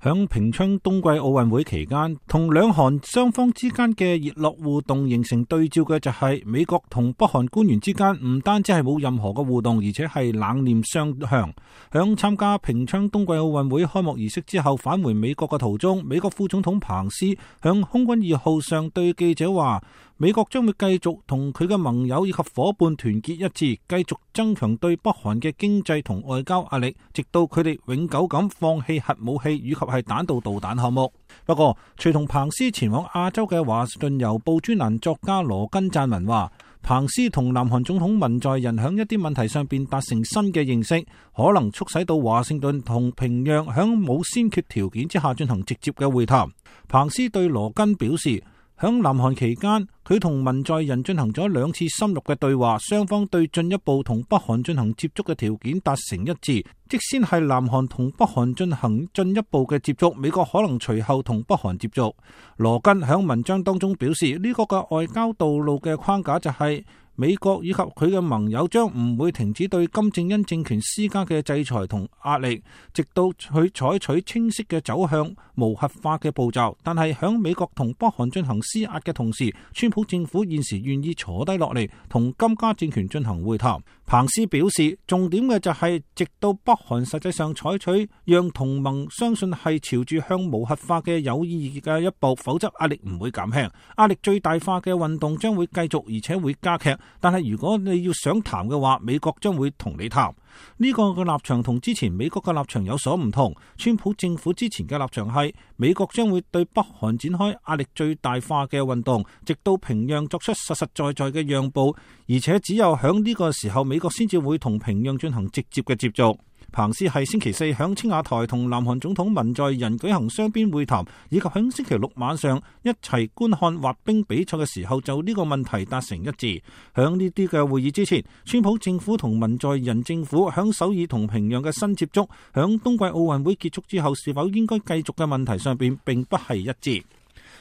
響平昌冬季奧運會期間，同兩韓雙方之間嘅熱絡互動形成對照嘅就係美國同北韓官員之間唔單止係冇任何嘅互動，而且係冷臉相向。響參加平昌冬季奧運會開幕儀式之後返回美國嘅途中，美國副總統彭斯響空軍2號上對記者話，美國將會繼續同佢嘅盟友以及夥伴團結一致，繼續增強對北韓嘅經濟同外交壓力，直到佢哋永久咁放棄核武器以及係彈道導彈項目。不過，隨同彭斯前往亞洲嘅華盛頓郵報專欄作家羅根撰文話，彭斯同南韓總統文在寅響一啲問題上邊達成新嘅認識，可能促使到華盛頓同平壤響冇先決條件之下進行直接嘅會談。彭斯對羅根表示，響南韓期間，佢同文在寅進行咗2次深入嘅對話，雙方對進一步同北韓進行接觸嘅條件達成一致。即先係南韓同北韓進行進一步嘅接觸，美國可能隨後同北韓接觸。羅根響文章當中表示，呢個嘅外交道路嘅框架就係美國以及佢嘅盟友將唔會停止對金正恩政權施加嘅制裁同壓力，直到佢採取清晰嘅走向無核化嘅步驟。但係響美國同北韓進行施壓嘅同時，川普政府現時願意坐低落嚟同金家政權進行會談。彭斯表示，重點嘅就係直到北韓實際上採取讓同盟相信係朝住向無核化嘅有意義嘅一步，否則壓力唔會減輕，壓力最大化嘅運動將會繼續而且會加劇。但係如果你要想談嘅話，美國將會同你談。呢個嘅立場同之前美國嘅立場有所唔同。川普政府之前嘅立場係美國將會對北韓展開壓力最大化嘅運動，直到平壤作出實實在在嘅讓步，而且只有響呢個時候美國先至會同平壤進行直接嘅接觸。彭斯係星期4響青瓦台同南韓總統文在寅舉行雙邊會談，以及響星期6晚上一齊觀看滑冰比賽嘅時候就呢個問題達成一致。響呢啲嘅會議之前，川普政府同文在寅政府響首爾同平壤嘅新接觸，響冬季奧運會結束之後是否應該繼續嘅問題上邊並不係一致。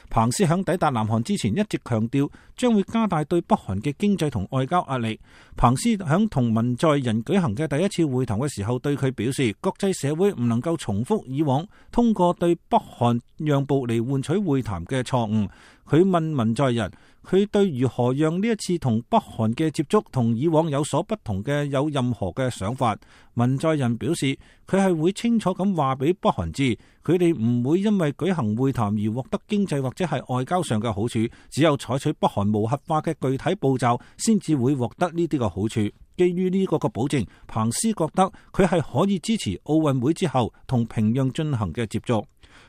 彭斯響抵達南韓之前一直強調將會加大對北韓嘅經濟同外交壓力。彭斯響同文在寅舉行嘅第一次會談嘅時候對佢表示，國際社會唔能夠重複以往通過對北韓讓步嚟換取會談嘅錯誤。佢問文在寅，佢對如何讓呢一次同北韓嘅接觸同以往有所不同嘅有任何嘅想法。文在寅表示，佢係會清楚咁話俾北韓知，佢哋唔會因為舉行會談而獲得經濟或者係外交上嘅好處，只有採取北韓無核化嘅具體步驟先至會獲得呢啲嘅好處。基於呢個嘅保證，彭斯覺得佢係可以支持奧運會之後同平壤進行嘅接觸。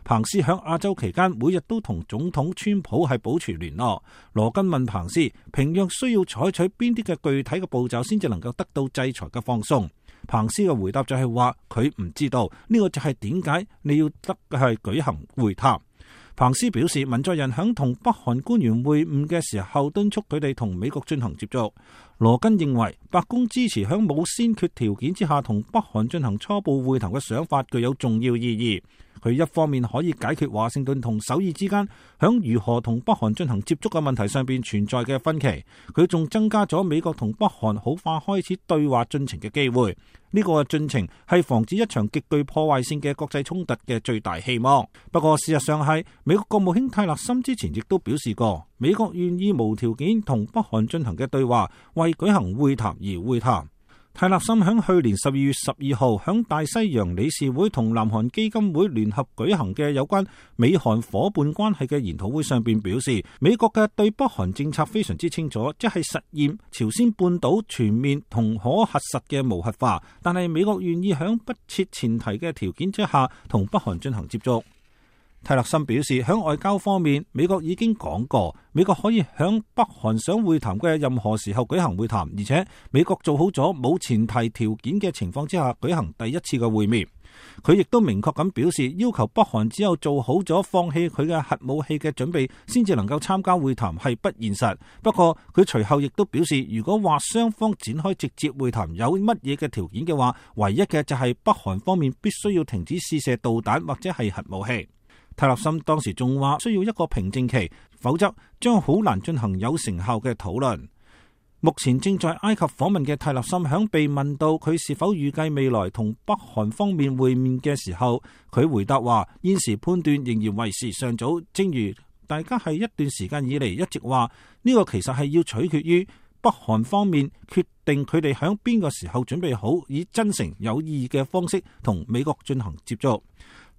彭斯響亞洲期間每日都同總統川普係保持聯絡。羅根問彭斯，平壤需要採取邊啲嘅具體嘅步驟先至能夠得到制裁嘅放鬆？彭斯嘅回答就係話佢唔知道，呢個就係點解你要得係舉行會談。彭斯表示，文在寅響同北韓官員會晤嘅時候敦促佢哋同美國進行接觸。羅根認為白宮支持響冇先決條件之下同北韓進行初步會談嘅想法具有重要意義。佢一方面可以解決華盛頓同首爾之間響如何同北韓進行接觸嘅問題上邊存在嘅分歧，佢仲增加咗美國同北韓好快開始對話進程嘅機會。呢個進程係防止一場極具破壞性嘅國際衝突嘅最大希望。不過事實上係美國國務卿泰勒森之前亦都表示過，美國願意無條件同北韓進行嘅對話，為舉行會談而會談。泰勒森響去年12月12號響大西洋理事會同南韓基金會聯合舉行嘅有關美韓夥伴關係嘅研討會上邊表示，美國嘅對北韓政策非常之清楚，即係實現朝鮮半島全面同可核實嘅無核化，但係美國願意響不設前提嘅條件之下同北韓進行接觸。泰勒森表示，響外交方面，美國已經講過，美國可以響北韓想會談嘅任何時候舉行會談，而且美國做好咗冇前提條件嘅情況之下舉行第一次嘅會面。佢亦都明確咁表示，要求北韓只有做好咗放棄佢嘅核武器嘅準備，先至能夠參加會談係不現實。不過佢隨後亦都表示，如果話雙方展開直接會談有乜嘢嘅條件嘅話，唯一嘅就係北韓方面必須要停止試射導彈或者係核武器。泰勒森當時仲話需要一個平靜期，否則將好難進行有成效嘅討論。目前正在埃及訪問嘅泰勒森響被問到佢是否預計未來同北韓方面會面嘅時候，佢回答話現時判斷仍然為時尚早，正如大家係一段時間以嚟一直話呢個其實係要取決於北韓方面決定佢哋響邊個時候準備好以真誠有意義嘅方式同美國進行接觸。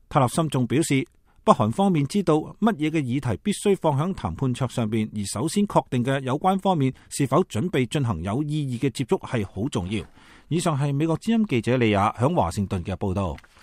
泰勒森仲表示，北韓方面知道乜嘢嘅議題必須放響談判桌上邊，而首先確定嘅有關方面是否準備進行有意義嘅接觸係好重要。以上係美國之音記者李雅響華盛頓嘅報道。